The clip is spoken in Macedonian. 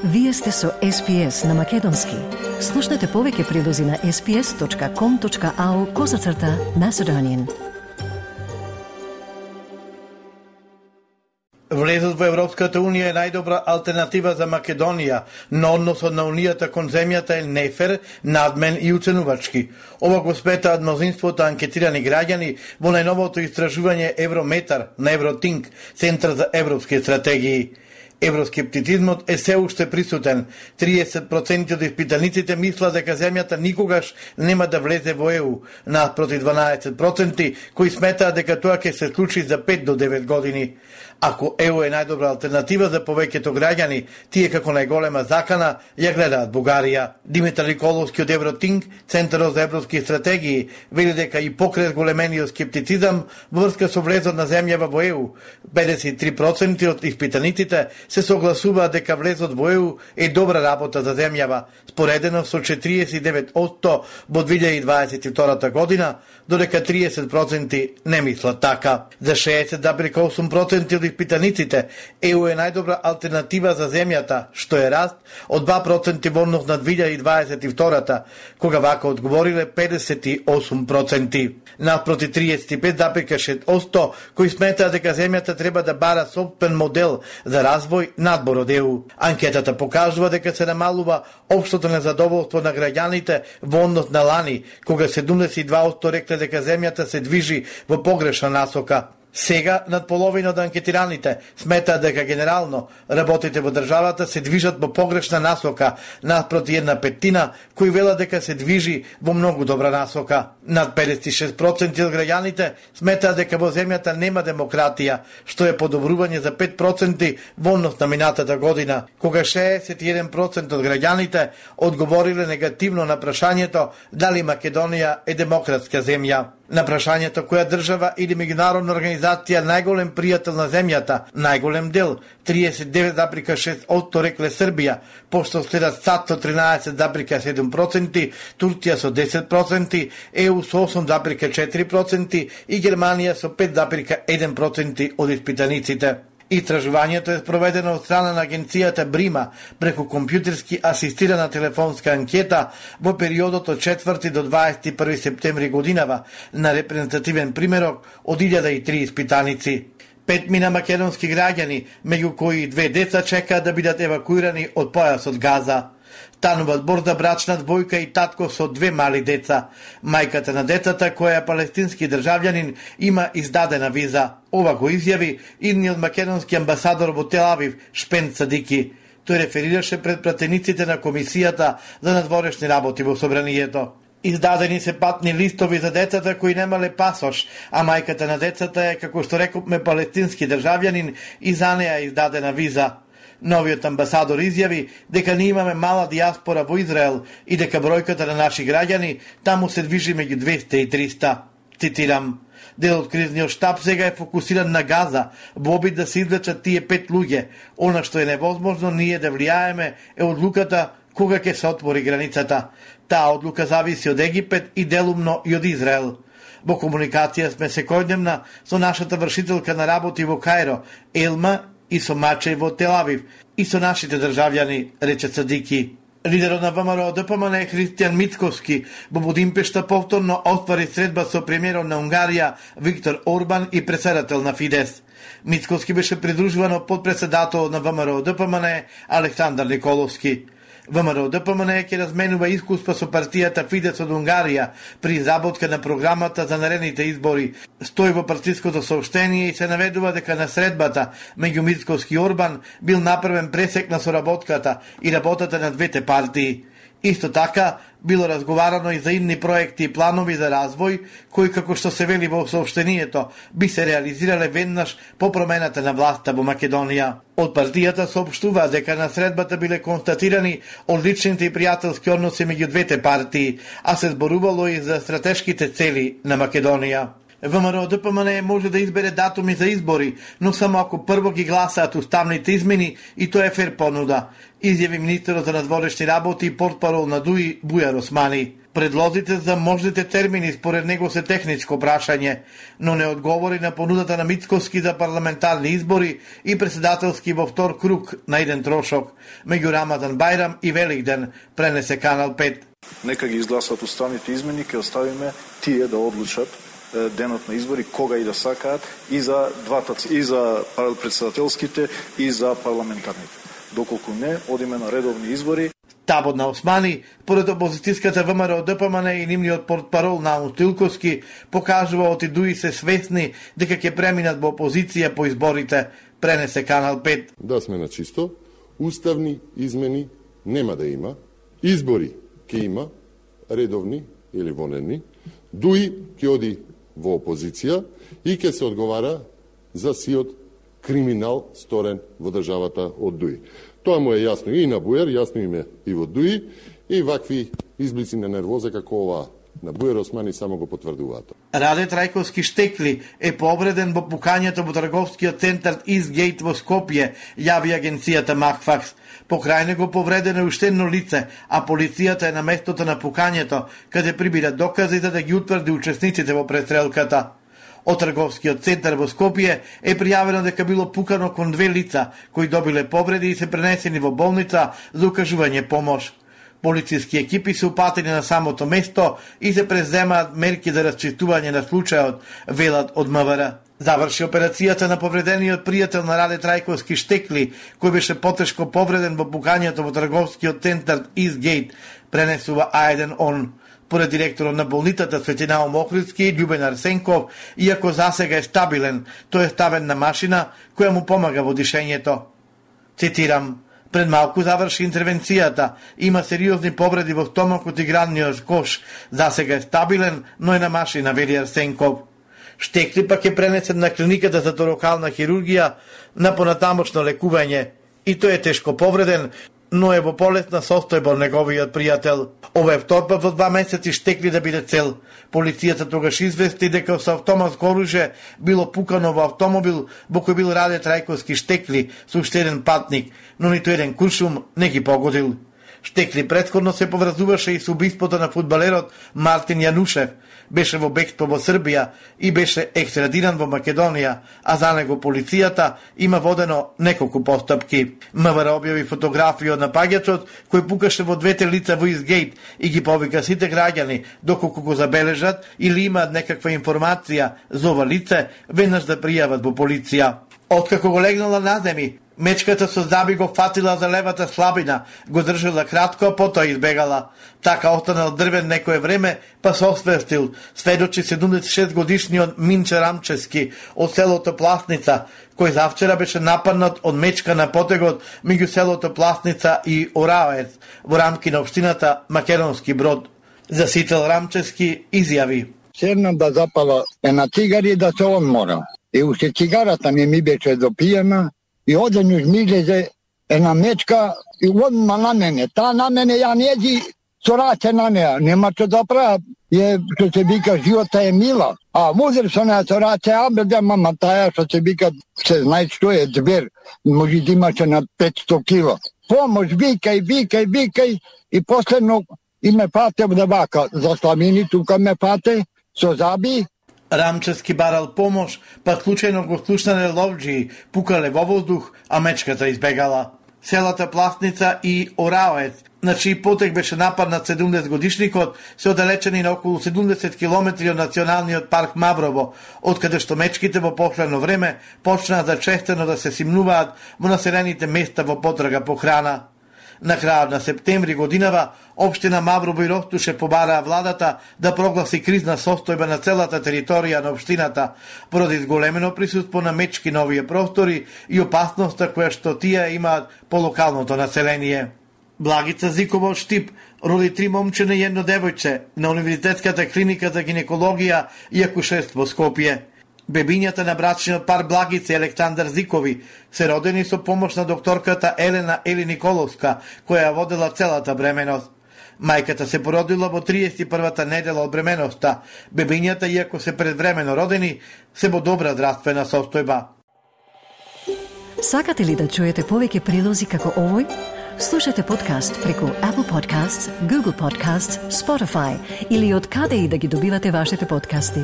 Вие сте со SPS на Македонски. Слушнете повеќе прилози на sps.com.au/Macedonian. Влезот во Европската Унија е најдобра алтернатива за Македонија, но односот на Унијата кон земјата е нефер, надмен и уценувачки. Ова го сметаат мнозинството анкетирани граѓани во најновото истражување Еврометар на Евротинк, Центар за европски стратегии. Евроскептицизмот е се уште присутен. 30% од испитаниците мислат дека земјата никогаш нема да влезе во ЕУ, наспроти 12% кои сметаат дека тоа ќе се случи за 5 до 9 години. Ако ЕУ е најдобра алтернатива за повеќето граѓани, тие како најголема закана ја гледаат Бугарија. Димитар Николовски од Евротинк, Центарот за европски стратегии, вели дека и покрај големениот скептицизам во врска со влезот на земјава во ЕУ, 53% од испитаниците се согласуваат дека влезот во ЕУ е добра работа за земјава, споредено со 49% во 2022 година, додека 30% не мислат така. За 60,8% од испитаниците, ЕУ е најдобра алтернатива за земјата, што е раст од 2% во однос на 2022, кога вака одговориле 58%. Наспроти 35,6% кои сметаат дека земјата треба да бара собствен модел за развој надбор од ЕУ. Анкетата покажува дека се намалува општото незадоволство на граѓаните во однос на лани, кога 72% рекле дека земјата се движи во погрешна насока. Сега, над половина од анкетираните сметаат дека генерално работите во државата се движат во погрешна насока, наспроти 1/5 кои велат дека се движи во многу добра насока. Над 56% од граѓаните сметаат дека во земјата нема демократија, што е подобрување за 5% во однос на минатата година, кога 61% од граѓаните одговориле негативно на прашањето дали Македонија е демократска земја. На прашањето која држава или меѓународна организација најголем пријател на земјата, најголем дел, 39,6% рекле Србија, пошто следат САД со 13,7%, Турција со 10%, ЕУ со 8,4% и Германија со 5,1% од испитаниците. Истражувањето е спроведено од страна на агенцијата Брима преку компјутерски асистирана телефонска анкета во периодот од 4 до 21 септември годинава на репрезентативен примерок од 1003 испитаници. 5 македонски граѓани, меѓу кои 2 деца, чекаат да бидат евакуирани од појасот Газа. Стануваат збор за брачна двојка и татко со 2 мали деца. Мајката на децата, која е палестински државјанин, има издадена виза. Ова го изјави идниот македонски амбасадор во Тел Авив, Шпен Садики. Тој реферираше пред пратениците на Комисијата за надворешни работи во Собранието. Издадени се патни листови за децата кои немале пасош, а мајката на децата е, како што рекопме, палестински државјанин и за неа издадена виза. Новиот амбасадор изјави дека ние имаме мала диаспора во Израел и дека бројката на наши граѓани таму се движи меѓу 200 и 300. Цитирам: дел од кризниот штаб сега е фокусиран на Газа, во обид да се извлечат тие 5 луѓе. Она што е невозможно ние да влијаеме е одлуката кога ќе се отвори границата. Таа одлука зависи од Египет и делумно и од Израел. Во комуникација сме секојдневна со нашата вршителка на работи во Кајро, Елма, и со Мачеј во Тел Авив, и со нашите државјани, рече Садики. Лидерот на ВМРО ДПМН Христијан Мицковски во Будимпешта повторно оствари средба со премиерот на Унгарија Виктор Орбан и председател на Фидес. Мицковски беше придружуван од подпредседателот на ВМРО ДПМН Александар Николовски. ВМРО ДПМН ќе разменува искуства со партијата Фидес од Унгарија при изработка на програмата за наредните избори. Стои во партиското соопштение и се наведува дека на средбата меѓу Мицковски и Орбан бил направен пресек на соработката и работата на двете партии. Исто така, било разговарано и за идни проекти и планови за развој, кои, како што се вели во соопштението, би се реализирале веднаш по промената на власта во Македонија. Од партијата соопштува дека на средбата биле констатирани одличните и пријателски односи меѓу двете партии, а се зборувало и за стратешките цели на Македонија. ВМРО ДПМН може да избере датуми за избори, но само ако прво ги гласаат уставните измени и тоа е фер понуда, изјави министерот за надворешни работи и портпарол на ДУИ Бујар Османи. Предлозите за можните термини според него се техничко прашање, но не одговори на понудата на Мицковски за парламентарни избори и председателски во втор круг на еден трошок меѓу Рамадан Бајрам и Великден, пренесе Канал 5. Нека ги изгласат уставните измени, ќе оставиме тие да одлучат денот на избори кога и да сакаат и за двата, и за председателските и за парламентарните. Доколку не, одиме на редовни избори. Табот на Османи, поред опозицијската ВМРО ДПМН и нивниот портпарол Наум Стилковски, покажува оти дуи се свесни дека ќе преминат во опозиција по изборите, пренесе Канал 5. Да сме на чисто, уставни измени нема да има, избори ќе има, редовни или вонедни, дуи ќе оди во опозиција и ќе се одговара за сиот криминал сторен во државата од дуи. Тоа му е јасно и на Бујар, јасно им е и во дуи, и вакви изблици на нервоза како ова на Бујар Османи само го потврдуваат. Раде Трајковски Штекли е повреден во пукањето во трговскиот центар Изгейт во Скопје, јави агенцијата Макфакс. Покрај него повредено е уште едно лице, а полицијата е на местото на пукањето, каде прибира докази за да ги утврди учесниците во престрелката. Од трговскиот центар во Скопје е пријавено дека било пукано кон две лица кои добиле повреди и се пренесени во болница за укажување помош. Полициски екипи се упатени на самото место и се преземаат мерки за расчистување на случајот, велат од МВР. Заврши операцијата на повредениот пријател на Раде Трајковски Штекли, кој беше потешко повреден во пукањето во трговскиот центар Изгейт, пренесува А1 ОН. Поред директорот на болницата Светинаум Охридски, Љубен Арсенков, иако засега е стабилен, тој е ставен на машина која му помага во дишењето. Цитирам: пред малку заврши интервенцијата, има сериозни повреди во стомакот и градниот кош, засега е стабилен, но е на машина, вели Арсенков. Штекли пак е пренесен на клиниката за торакална хирургија на понатамошно лекување и тој е тешко повреден, но е во полесна состојба неговиот пријател. Ова е втор пат во 2 месеци Штекли да биде цел. Полицијата тогаш извести дека со автоматско оружје било пукано во автомобил во кој бил Раде Трајковски Штекли со уште еден патник, но ниту еден куршум не ги погодил. Штекли претходно се поврзуваше и со убиството на фудбалерот Мартин Јанушев. Беше во бегство во Србија и беше екстрадиран во Македонија, а за него полицијата има водено неколку постапки. МВР објави фотографија од напаѓачот кој пукаше во двете лица во Изгейт и ги повика сите граѓани доколку го забележат или имаат некаква информација за ова лице, веднаш да пријават во полиција. Откако го легнала на земји, мечката со заби го фатила за левата слабина, го држала кратко, а потоа избегала. Така останал дрвен некое време, па се освестил, сведочи 76 годишниот Минче Рамчески од селото Пласница, кој завчера беше нападнат од мечка на потегот меѓу селото Пласница и Ораец, во рамки на општината Македонски Брод. Засител Рамчески изјави: седнам да запала една цигари да се одмора. И уште цигарата ми беше допиена, и одеднаш ми излезе една мечка и одма на мене. Таа на мене ја нејади со раце на неа. Нема што да правам. Што се вика, живота е мила. А музер со неа со раце, бе, мама, таа што се вика, се знае што е звер. Може да имаше на 500 кила. Помош, викај. И последно и ме фате да вака. За Славини тука ме фате со заби. Рамчески барал помош, па случајно го слушнале ловџии, пукале во воздух, а мечката избегала. Селата Пласница и Ораец, на чиј потек беше нападнат 70-годишникот, се оддалечени на околу 70 километри од националниот парк Маврово, откаде што мечките во последно време почнаа да честено да се симнуваат во населените места во потрага по храна. На крајот на септември годинава, општина Маврово и Ростуше побараа владата да прогласи кризна состојба на целата територија на општината, поради зголемено присуство на мечки на овие простори и опасноста која што тие имаат по локалното население. Благица Зикова од Штип роди 3 момчиња и едно девојче на Универзитетската клиника за гинекологија и акушерство Скопје. Бебињата на брачниот пар Благица и Александар Зикови се родени со помош на докторката Елена Ели Николовска, која ја водела целата бременост. Мајката се породила во 31-та недела од бременоста. Бебињата, иако се предвремено родени, се во добра здравствена состојба. Сакате ли да чуете повеќе прилози како овој? Слушате подкаст преку Apple Podcasts, Google Podcasts, Spotify или од каде и да ги добивате вашите подкасти.